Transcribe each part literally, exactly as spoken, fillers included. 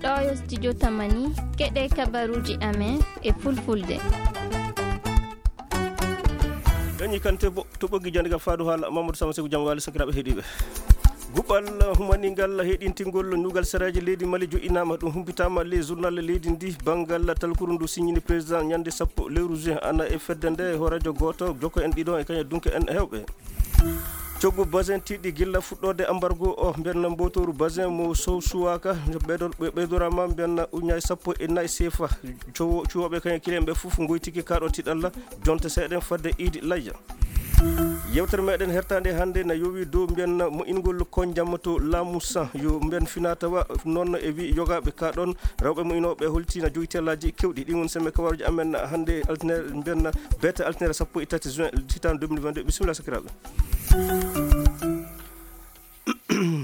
Ɗo yo studio Tamani, keɗe kabaruji amen e fulfulde. Gañi kante bo to ɓoggi jande gam faadu haala Mamadou Sama Seku, jam wali sakiraɓe heɗiɓe. Guɓal humaningal heɗintingol nugal saraji leydi Mali joɗɗinama, ɗum humpitama le journal leydi ndi. Bangal talkuru ndu signini président ñande sappo lewru juin, ana e fedde nde hoorejo goto, jokko en ɗiɗo e kañum dunke en hewɓe. Coggu basin tiiɗi gilla fuɗɗode embargo o, mbiyanna mbotooru basin mo sow suwaka, ɓeydo-, ɓe-, ɓeydorama mbiyanna uñaay sappo e nayi sefa. Cowo-, cuwoɓe kañum kilen ɓe fof ngoytiki kaɗo tiɗalla jonte seeɗen fadde iidi layya. Yewtere meɗen hertande hannde na yowi dow mbiyanna moƴƴingol konjam to laamu san, yo mbiyan fina tawa noon e wi yogaɓe ka ɗon rewɓe moƴƴinoɓe holti na jogi tellaji kewɗi. Ɗi woni sembe kabaruji amen hannde altine, mbiyanna bete altine sappo e tati juin, hitande deux mille vingt-deux. Bisimilla sakiraɓe.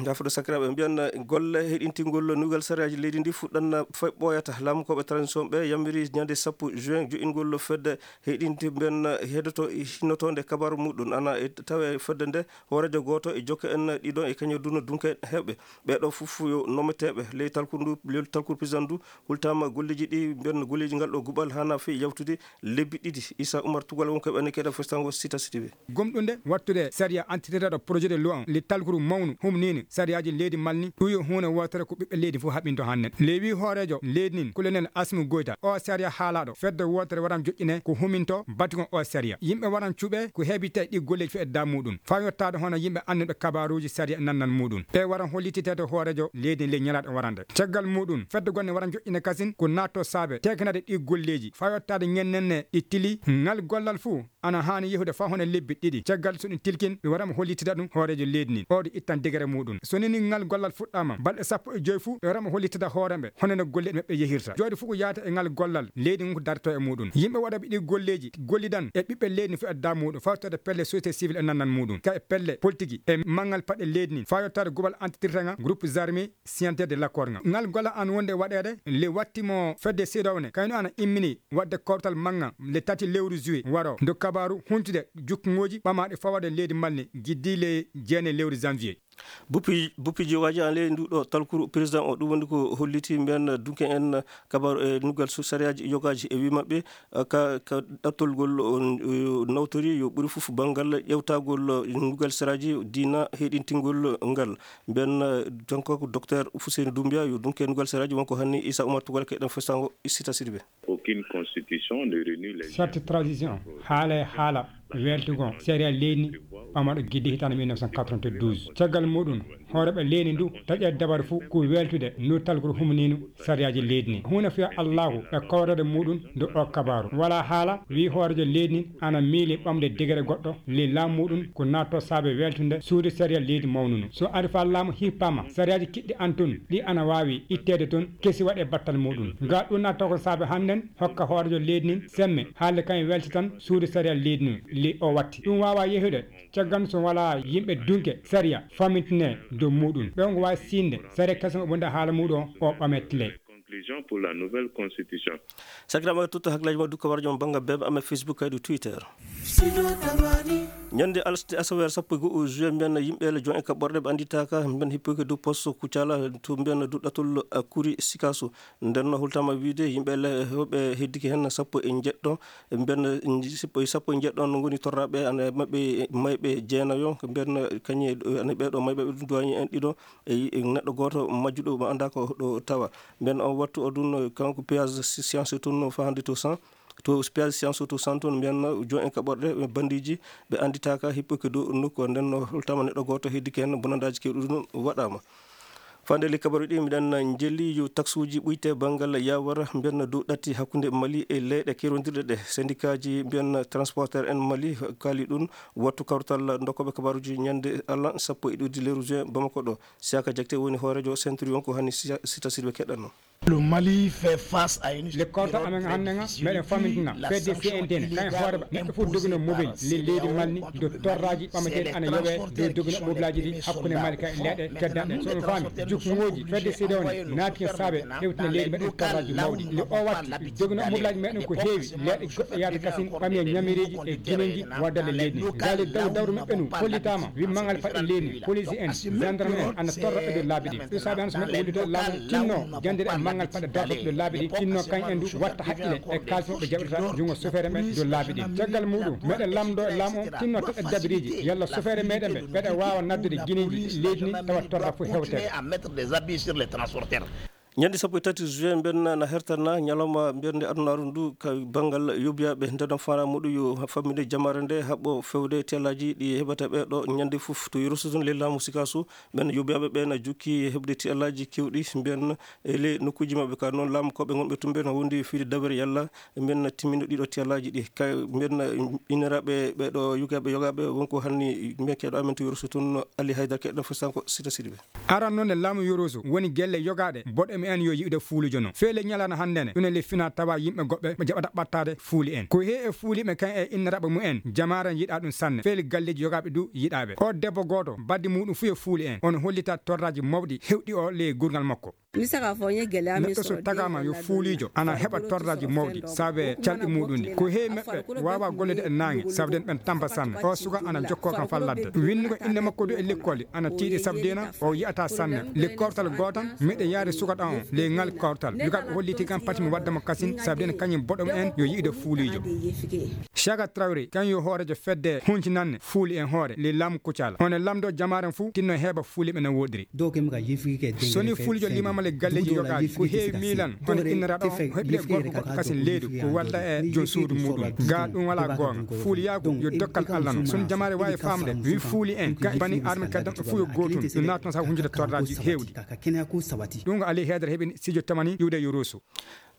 Jafoɗo sakiraɓe, mbiyan golle heɗintingol nugal sariyaji leydi ndi fuɗɗan fay ɓooyata. Laamu koɓe transition ɓe yamiri ñande sappo juin joɗɗingol fedde heɗinti mbiyan heɗoto hinnotonde kabaru muɗum. Ana e tawe fedde nde hoorejo goto e jokke en ɗiɗo e kañum duna dunke heɓɓe. Ɓeɗo fof yo nometeɓe ley talkuru ndu, ley talkuru président ndu. Hultama golleji ɗi mbiyan golleji ngal ɗo guɓal hana fey yawtude lebbi ɗiɗi. Issa Oumar Tugal wonko ɓen keɗa festango sita sitiɓe. Gomɗunde wattude sariya antitiraɗo projet de loi on, li talkuru mawnu humnini sariyaji leydi Mali ni, ɗum yo huunde wootere ko ɓiɓɓe leydi fof haɓinto hannden. Lewi hoorejo leydi nin, colonel Asmi Goyta, o sariya haalaɗo fedde wootere waran joƴƴine ko huminto batugo o sariya. Yimɓe waran cuɓe ko heɓite ɗi golleji fedda muɗum. Faa yottaade hono yimɓe annduɓe kabaruuji sariya e nannal muɗum. Ɓe waran hollititeede hoorejo leydi nin ley ñalaaɗe warande. Caggal muɗum, fedde gonne waran joƴƴine kasin ko naatto saabe tekinade ɗi golleji. Faa yottaade ñennenne ɗi tili, ngal gollal fuu ana haani yehude faa hono lebbi ɗiɗi. Caggal so ɗum tilkin, ɓe waɗama hollitida ɗum hooreejo leydi ndin. O ɗo ittan degere muɗum. So nini ngal gollal fuɗɗaama, balɗe sappo e joy fuu, ɓe waɗama hollitida hoore ɓe, hono no golle maɓɓe yehirta. Jooɗi fuu ko yaata e ngal gollal, leydi ngun ko darto e muɗum. Yimɓe waɗaɓe ɗi golleeji, gollidan e ɓiɓɓe leydi ndin fuu e da muɗum, fawtorde pelle société civile e nannan muɗum, ka e pelle politique e manngal paɗe leydi ndin, faa yottaade gubal antitirta ngal groupe armé, scientifique de l'accord ngal. Ngal gollal an wonde waɗeede, le wattimo fedde seedawne, kayno ana immini waɗde kawtal mannga le tati lewru juillet waro, ndo kabaru huntude jukkongoji ɓamaaɗi fawade leydi Mali, giddi le jeenayi lewru janvier. Buppi, buppi jiwaji an ley ndu ɗo talkuru président o, ɗum woni ko holliti mbiyan dunke en kabaru e nuggal su-, sariyaji yogaji e wi maɓɓe, eh, ka, ka ɗattolgol on, eh, nawtori yo ɓuri fof banngal ƴewtagol, eh, nuggal saraji diina heɗintingol ngal. Mbiyan, eh, kanko ko docteur Fuseni Doumbia yo dunke nuggal saraji wonko hanni Issa Oumar Tugal keɗen festango sita sirbe. Aucune constitution ne réunit les Charte transition, haala e haala weltugo sariya leydi ni, ɓamaɗo gidde hitande mille neuf cent quatre-vingt-douze. Caggal muɗum, hooreɓe leydi ndu taƴa dabar fuu ko weltude ndu talkuru humaninu sariyaji leydi ni. Huuna fiya Allahu e kawrade muɗum ndu o kabaru. Wala haala wi hoorejo leydi ni ana miili ɓamde degere goɗɗo ley laamu muɗum ko naatto saabe weltude suudu sariya leydi mawnunu. So ari fa laamu hippama, sariyaji kiɗɗi an tun, ɗi ana waawi itteede tun, kesi waɗe battal muɗum. Nga ɗum naatto ko saabe hannden hokka hoorejo leydi nin semme, haalde kañum welti tan suudu sariya leydi nin li o watti. Ɗum waawa yehude, caggal so wala yimɓe dunke sariya famintine dow muɗum. Ɓe on ko waawi siinde sariya kasen o wonde haala muɗum o ɓametle. Conclusion pour la nouvelle constitution. Sakiraɓe, tutto hakkillaji ma dukka warjo mo bannga bebe amen Facebook kaydi Twitter. Ñande alasde asaweere sappo e go'o juin, mbiyan yimɓe le jon e kaɓɓorɗe ɓe annditaaka, mbiyan hippoke dow poste Kucala, to mbiyan dow ɗatol, a, Kuri Sikaso. Nden no hultama wiide yimɓe le heewɓe heddike heen sappo e njeɗɗo, mbiyan sappo, sappo e njeɗɗo no ngoni torraɓe, ana maɓɓe mayɓe jeenayo, mbiyan kañe, ana ɓeeɗo mayɓe ɓe ɗum duwañi en ɗiɗo, e, e neɗɗo gooto majjuɗo mo annda ko ɗo tawa. Mbiyan on wattu o ɗum, kanko P S Science toon no fahande to cent, to P S Science to cent toon, mbiyan jon en kaɓorɗe, ɓe bandiji, ɓe annditaaka hippoke dow nokku o. Nden no holtama neɗɗo gooto heddike heen, bonandaaji kewɗi ɗum waɗaama. Fande le kabaru ɗi, mbiɗen njelli yo taksuuji ɓuyte banngal yawara, mbiyan dow ɗatti hakkunde Mali e leyɗe kerondirɗe ɗe. Sendikaaji mbiyan transporteur en Mali kaali ɗum, wattu kawtal ndokkoɓe kabaruji ñande Allah sappo e ɗiɗi lewru juin Bamako ɗo. Siaka Jakte woni hoorejo Centurion ko hani sita sirɓe keɗɗanno. Le Mali fait face à une Le kawtal amen hannde nga, meɗen famintina fedde C N T ne, kayen hoore ba neɗɗo fof dogino mobile le leydi Mali ni, do torraji ɓamateɗi ana yoɓe dow dogino mobilaji ɗi hakkunde Mali kay leɗɗe teddaɗe. So on faami, jukngoji fedde C D A O ne naati hen saabe hewtina leydi meɗen torraji mawɗi. Le o watti dogino mobilaji meɗen ko heewi, leɗɗe goɗɗe yaata kasin ɓami e ñamireji e guineji waddale leydi ndi. Gaali daw dawru meɓɓe nu hollitama wi mangal paɗɗe leydi ndi, police en, gendarme en ana torra e dow laabi ɗi. Ɗum saabi hannde so meɗen wullude laamu tinno jandere e mangal paɗɗe darto ɗo laabi ɗi, tinno kañ en du watta haqqile e kaalis mo ɓe jaɓirta jungo sofeere men dow laabi ɗi. Caggal muɗum meɗen lamdo e laamu o tinno toɗɗe dabiriji yalla sofeere meɗen ɓe ɓeɗa wawa naddude guineji leydi ndi tawa torra fof hewtere. Ñande sappo e tati juin mbenna na hertana ñalawma mbernde adunaaru ndu ka banngal yobiyaɓe ndeno fana muɗu yo famminde jamare nde haɓɓo fewde tellaji ɗi heɓata ɓe ɗo ñande fof to yerusa tun le laamu sikasu. Ɓen yobiyaɓe ɓe na jukki heɓde tellaji kewɗi mbenna e le nokkuji maɓɓe ka noon laamu koɓe gonɓe tumɓe no wondi fiide dawere yalla mbenna timmino ɗiɗo tellaji ɗi ka mbenna iniraɓe ɓe ɗo yogaɓe yogaɓe wonko hanni mbekeɗo amen to yerusa tun. Ali haydara keɗɗo fesanko sita siɗi ɓe. Aran noon e laamu Yurusu woni gelle yogaaɗe boɗo mi en yo yi'ude fuulujo no. Feele ñalaana hannde ne ɗum e le fina tawa yimɓe goɓɓe ɓe jaɓata ɓattaade fuuli en. Ko hee e fuuliiɓe kan e inniraɓe mu en jamaare yiɗa ɗum sanne. Feele galleeji yogaaɓe du yiɗaaɓe. O debbo gooto baddi muɗum fuu e fuuli en on hollita torraaji mawɗi hewɗi o le gurngal makko. Neɗɗo so tagaama yo fuuliijo ana heɓa torraaji mawɗi saabe calɗi muɗum ɗi. Ko heewi meɓɓe waawa gollude e naange saabe den ɓen tampa sanne. O suka ana jokkoo kam faa ladde. Winnugol innde makko du e lekkooli ana tiiɗi saabe dena o yi'ataa sanne. Le kawtal gootal miɗo yaari suka ɗan on le ngal kawtal. Yoga ɓe holliti kam pati mi wadda mo kasin saabe den kañum boɗo en yo yi'ude fuuliijo. Chaga Traoré kan yo hooreejo fedde huncinanne fuuli en hoore le laamu Kucala. On e lamndoo jamaaren fuu tinno heɓa fuuli ɓe no wooɗiri. Soni fulijo limama le galleji yogaji ko heewi milan hono inniraɗo o heɓire gorko goɗɗo kasin leydu ko wadda e jom suudu muɗum ga ɗum wala gonga. Fuuliyaagu yo dokkal Allah no soni jamaare wawi famde wi fuuli en ga bani arme kaddan ɗo fuu yo gotum ɗum natno sa hunjude torraji hewdi. Ɗum ko ali hedere heɓini sijo tamani iwde yo ruusu.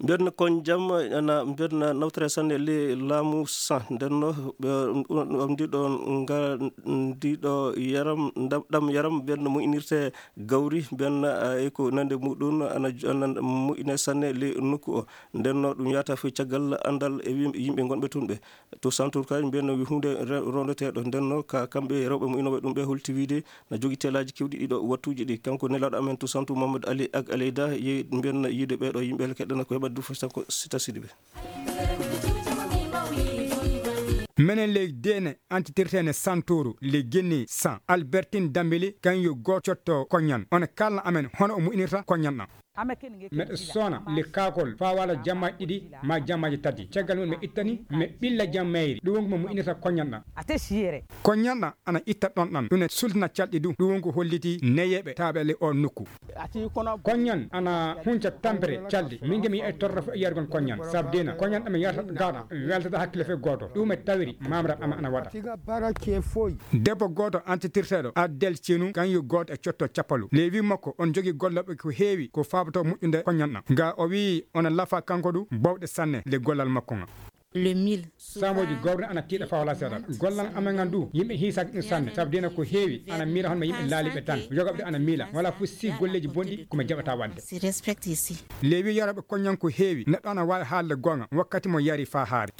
Mbirna kon jam ana mbirna nawtere sanne le laamu san ndenno ndiɗo nga ndiɗo yaram ɗam yaram mbirna mo inirte gawri mbirna e ko nande muɗum ana ana moƴƴina sanne le nokku o. Ndenno ɗum yata fof caggal andal e yimɓe gonɓe tun ɓe to santour kay mbirna wi hunde rondoteɗo ndenno ka kamɓe rewɓe mo inoɓe ɗum ɓe holti wiide na jogi telaji kewɗi ɗiɗo wattuji ɗi kanko nelaɗo amen to santu mamadou ali ak aleyda yehi mbiyanna yiide ɓeɗo yimɓe keɗɗana ko heɓa du fo sanko sita sidiɓe. Menen ley dene antitirtene santoru le guinée san albertine dambili kan yo goto cotto koñan on kalna amen hono o mu'inirta koñan ɗan. Meɗe sona le kakol faa wala jammaji ɗiɗi ma jammaji tati caggal mum mi ittani mi ɓilla jammayri ɗum wonko mo mu'inirta koñanɗa. Koñanɗa ana itta ɗon ɗan ɗum ne sultina calɗi du ɗum wonko holliti neyeɓe taɓe le o nokku. Koñan ana hunca tampere calɗi min de mi yi'ay torra fo e yargol koñan sabu dena koñan ɗam yarata gaɗa weltata hakkille fe goto ɗum e tawiri mamra ama ana waɗa. Debbo goto antitirteɗo addel cenu kan yo goto e cotto cappalu lewi makko on jogi golloɓe ko heewi ko fabato moƴƴude koñanɗam ga o wi ona lafa kanko du bawɗe sanne le gollal makko ga. Le mil samoji gowre ana tiiɗa fawla seeɗa gollal amen ngal du yimɓe hiisaki ɗum sanne sabu dina ko heewi ana miila hono ma yimɓe laaliɓe tan yogaɓe ana miila wala fof si golleji bonɗi komi jaɓata wadde. Lewi yaraɓe koñan ko heewi neɗɗo ana wawi haalde gonga wakkati mo yari fa haari.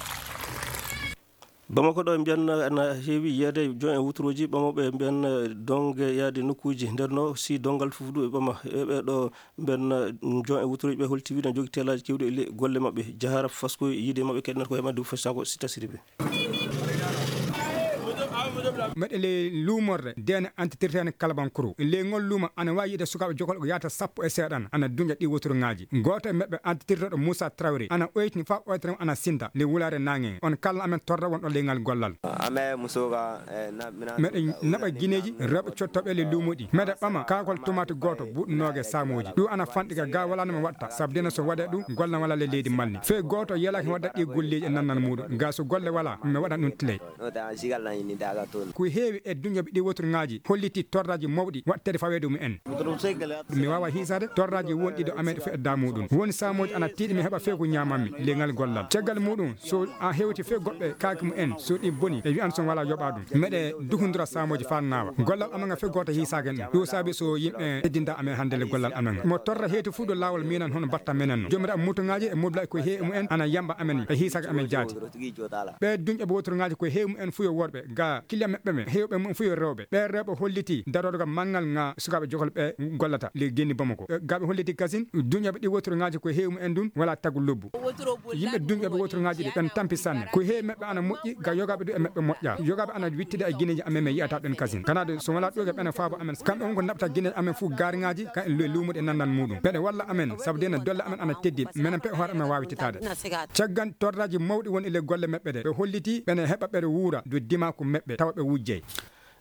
Bamako ɗo mbiyan na heewi yeede jon e wuturuuji ɓamooɓe mbiyan donge yaade nokkuuji nder no si dongal fof du e ɓama e ɓe ɗo mbiyan jon e wuturuuji ɓe holti wiɗa jogi teelaaji kewɗi e golle maɓɓe jahara fasko yiide maɓɓe keɗen ko heɓa du fasanko si tasiri ɓe. Meɗe ley luumorde dene antitirtene kalabankuru ley ngol luuma ana wawi yiide sukaaɓe jokol ko yahata sappo e seeɗan ana duña ɗi woturuŋaaji gooto e meɓɓe antitirtoɗo moussa trawri ana oytini fa oytere ana sinda le wulaare naŋe on kalna amen torra wonɗo leyngal gollal. Meɗe naɓa gineeji rewɓe cottoɓe le luumuɗi meɗe ɓama kakol tomate gooto buuɗnooge samuuji ɗum ana fanɗi ka ga wala no mi watta sabu dena so waɗe ɗum golla wala le leydi malni fey gooto yelaki mi wadda ɗi golleeji e nannan muɗum ga so golle wala mi waɗa ɗum tiley. Ko heewi e duñoɓe ɗi woturŋaaji holliti torraaji mawɗi waɗteede faweede mum en. Mi waawa hiisaade torraaji wonɗi ɗo amen fof e daa muɗum. Won saamooji ana tiiɗi mi heɓa few ko ñaamammi leŋal gollal. Caggal muɗum, so a hewti few goɗɗo e kaake mum en, so ɗi boni, ɓe wiyan so wala yoɓa ɗum. Meɗe duhundura saamooji faa naawa. Gollal amen ngal few gooto hiisaaki en ɗum. Ɗum saabi so yimɓe teddinta amen hannde le gollal amen ngal. Mo torra heeti fuu ɗo laawol minan hono batta menen no. Joomiraaɓe motuŋaaji e mobilaaji ko heewi mum en ana yamba amen e hiisaaki amen jaati. Ɓe duñɓe woturuŋaaji ko heewi mum en fuu yo worɓe, ga kiliya maɓɓe ɓe heewɓe mum fuu yo rewɓe. Ɓe rewɓe holliti darorga manngal ŋa sukaaɓe jokol ɓe gollata le genni Bamako. Ga ɓe holliti kasin duñɓe ɗi woturuŋaaji ko heewi mum en ɗum wala tagu lobbu. Yimɓe duñɓe woturuŋaaji ɗi ɓen tampi sanne. Ko heewi maɓɓe ana moƴƴi ga yogaaɓe ɗum e maɓɓe moƴƴa. Yogaaɓe ana wittida e gineeji amen mi yi'ata ɓen kasin. Kana de so wala ɗoge ɓen e faabo amen. Kamɓe on ko naɓta gineeji amen fuu gaariŋaaji ka e luumuɗe nannan muɗum. Ɓeɗe walla amen sabu de no dolle amen ana teddi. Menen pe hoore amen waawi titaade. Caggan torraaji mawɗi woni le golle maɓɓe ɗe, ɓe holliti ɓene heɓa ɓeɗe wuura dow dimaaku maɓɓe tawa ɓe wujjey.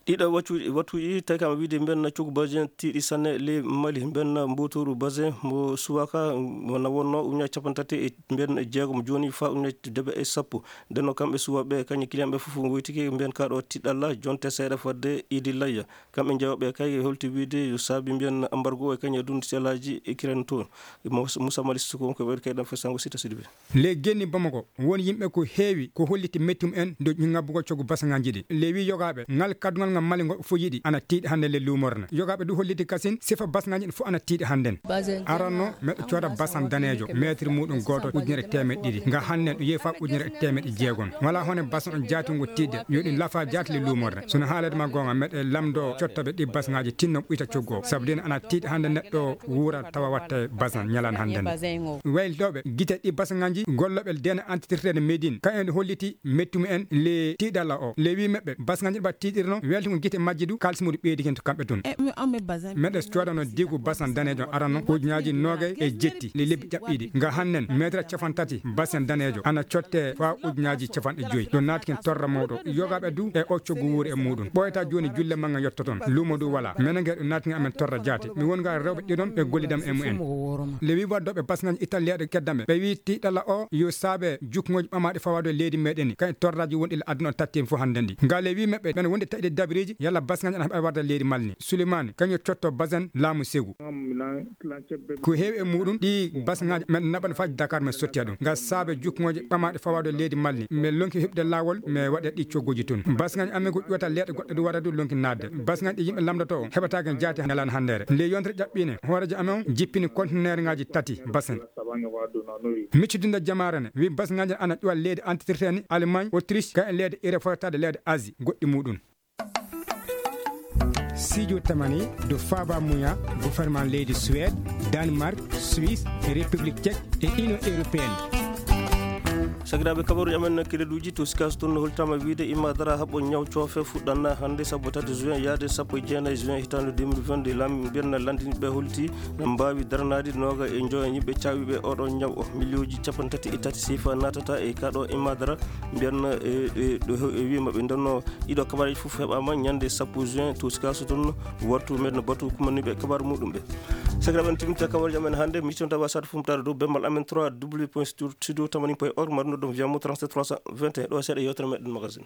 Ɗiɗo wattu-, wattuuji tawi kam wiide mbiyen coggu Basin tiiɗi sanne ley Mali, mbiyen mbootooru Basin mo subaka mo na wonno ujunnaaji cappanɗe tati e mbiyen jeegom jooni faa ujunnaaji debe e sappo. Nden no kamɓe suwaaɓe kañum kiliyanɓe fof woytike mbiyen kaa ɗo tiɗalla jonte seeɗa fadde Idi Layya. Kamɓe jawaaɓe kay holti wiide yo saabi mbiyen embargo e kañum e dundu selaaji e kiren toon. Moussa Mali Suko ko ɓeydi kay ɗam fesango Sita Sidibé. Le genni Bamako won yimɓe ko heewi ko holliti mettum en dow ŋabbugol coggu basaŋaaji ɗi. Le wi yogaaɓe ngal kaddungal ngal Mali ngo fof yiɗi ana tiiɗi hannde le luumorne. Yogaaɓe du holliti kasin sifa basaŋaaji ɗi fof ana tiiɗi hannden. Aranno meɗo cooda basan daneejo meetir muɗum gooto ujunere teemeɗɗe ɗiɗi. Nga hannden ɗum yehi faa ujunere e teemeɗɗe jeegom. Wala hone basan on jaatungo tiiɗde yo ɗum lafa jaati le luumorne. Sono haalede ma goonga meɗe lamdo cottoɓe ɗi basaŋaaji tinno ɓuyta coggu o. Sabu ɗin ana tiiɗi hannde neɗɗo wuura tawa watte basan ñalan hannden. Waylitoɓe gite ɗi basaŋaaji golloɓe dene entité traité Médine ka en holliti mettumu en le tiiɗalla o. Le wi maɓɓe basaŋaaji ɗi ɓa tiiɗirno weltugo gite majji du kaalis muɗum ɓeydi hen to kamɓe tun. Meɗe coodano digu basan daneejo arano ujunnaaji noogay e jetti le lebbi ƴaɓɓiiɗi. Nga hannden meetre capan tati basen daneejo ana cotte faa ujunnaaji capanɗe joyi. Ɗo naatkin torra mawɗo. Yogaaɓe du e o coggu wuuri e muɗum. Ɓooyata jooni julle mannga yotto toon. Luumo du wala. Menen nge ɗo naatkin amen torra jaati. Mi won ngaa rewɓe ɗiɗon ɓe gollidam e mumen. Le wi waddoɓe basaŋaaji italiyaaɗo keddamɓe. Ɓe wi tiiɗalla o yo saabe jukngooji ɓamaaɗi fawaade leydi meɗen. Kay torraaji wonɗi le aduna o tatti en fof hannden ɗi. Nga le wi maɓɓe ɓen wonde taƴde dabiriji yalla basaŋaaji ana heɓa warde leydi Mali ni. Suleymani kañum cotto basen laamu segu. Ko heewi e muɗum ɗi basaŋaaji men naɓan faaji Dakar men sotti ɗum. Nga saabe jukngooji ɓamaaɗi fawaade leydi Mali ni. Men lonki heɓde laawol men waɗa ɗi cogguji tun. Basaŋaaji amen ko ƴuwata leeɗe goɗɗe du wara du lonki naatde. Basaŋaaji ɗi yimɓe lamdoto o heɓataake jaati ñalan hanndere. Nde yontere ƴaɓɓine hooreejo amen jippini conteneerŋaaji tati basen. Miccitinde jamaare ne wi basaŋaaji ana ƴuwa leydi entité traité ni Allemagne, Autriche ka e leyɗe Europe fotaade leyɗe Asie goɗɗi muɗum. Sidio Tamani do Faba Muya, gouvernement leydi Suède, Danemark, Suisse, République Tchèque et Union Européenne. Sakiraaɓe, kabaruuji amen kereduuji to Sikaas toon no holtaama wiide imma dara haɓɓo ñaw coofe fuɗɗanna hannde sappo tati juin yaade sappo e jeenayi juin hitaande deux mille vingt-deux. Lam mbiyen lanndinɓe holti na mbaawi daranaade nooga e njoya yimɓe caawiiɓe oɗo ñaw o. Miliyooji capanɗe tati e tati siifa naatata e kaɗo imma dara mbiyen e, e, ɗo e wiima ɓe ndenno ɗiɗo kabaruuji fof heɓaama ñande sappo juin to Sikaas toon. Wattu men no batu kumaniiɓe kabaaru muɗum ɓe. Sakiraaɓe, en timminta kabaruuji amen hannde, miccon tawa sat fumtaade dow bemmal amen trois w point studio tamani point org, mbaɗuno ɗum via mo trente-sept trois cent vingt et un, ɗo seeɗa yewtere meɗen magazine.